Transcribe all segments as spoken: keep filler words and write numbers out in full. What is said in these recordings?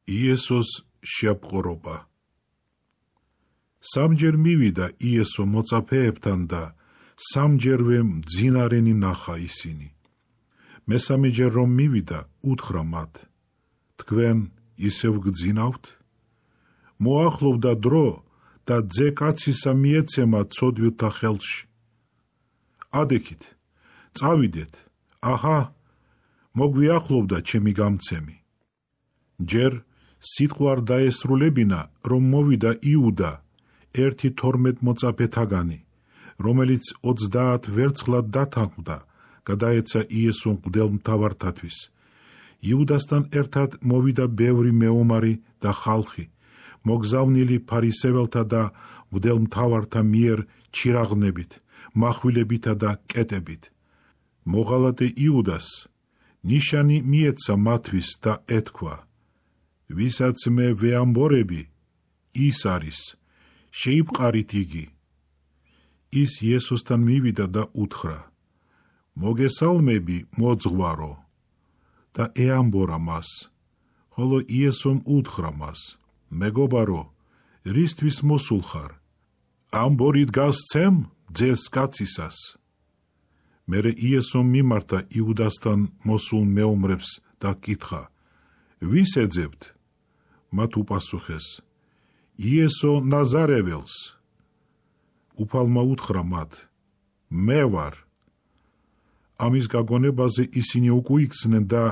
იესოს შეაპყრობა. სამჯერ მივიდა იესო მოწაფეებთან და სამჯერვე მძინარენი ნახა ისინი. მესამეჯერ რომ მივიდა, უთხრა მათ: თქვენ ისევ გძინავთ? მოახლოვდა დრო და ძე კაცისა მიეცემა ცოდვილთა ხელში. ადექით, წავიდეთ, აჰა, მოგვიახლოვდა ჩემი გამცემი. ჯერ სიტყვა არ დაესრულებინა, რომ მოვიდა იუდა, ერთი თორმეტ მოწაფეთაგანი, რომელიც ოცდაათ ვერცხლად დათანხმდა, გადაეცა იესო მღვდელმთავართათვის. იუდასთან ერთად მოვიდა ბევრი მეომარი და ხალხი, მოგზავნილი ფარისეველთა და მღვდელმთავართა მიერ ჩირაღნებით, מחვილებითა და კეტებით. მოღალატე იუდას ნიშანი მიეცა მათთვის და ეთქვა: ვისაც მე ვეამბორები, ის არის, შეიპყარით იგი. ის იესოსთან მივიდა და უთხრა: მოგესალმები, მოძღვარო, და ეამბორა მას. ხოლო იესომ უთხრა მას: მეგობარო, რისთვის მოსულ ხარ? ამბორით გასცემ ძეს კაცისას. მერე იესომ მიმართა იუდასთან მოსულ მეომრებს და კითხა: ვის ეძებთ? მათ უპასუხეს: იესო ნაზარეველს. უფალმა უთხრა მათ: მე ვარ. ამის გაგონებაზე ისინი უკუიქცნენ და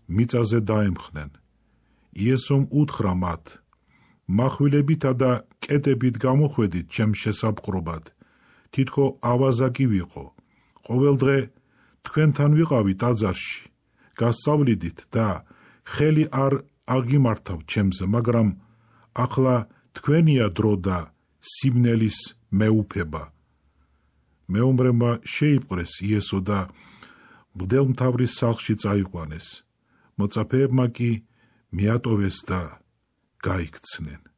მიწაზე დაემხნენ. იესომ უთხრა მათ: מחვილებითა და კეტებით გამოხვედით ჩემ შესაპყრობად, თითქო ავაზა კი ვიყო. ყოველდღე თქვენთან ვიყავი ტაძარში, გასწავლიდით და ხელი არ აღიმართავ ჩემზე, მაგრამ ახლა თქვენია დრო და სიმნელის მეუფება. მეომრებმა შეიპყრეს იესო და მღვდელმთავრის სახლში წაიყვანეს. მოწაფეებმა კი მიატოვეს და გაიქცნენ.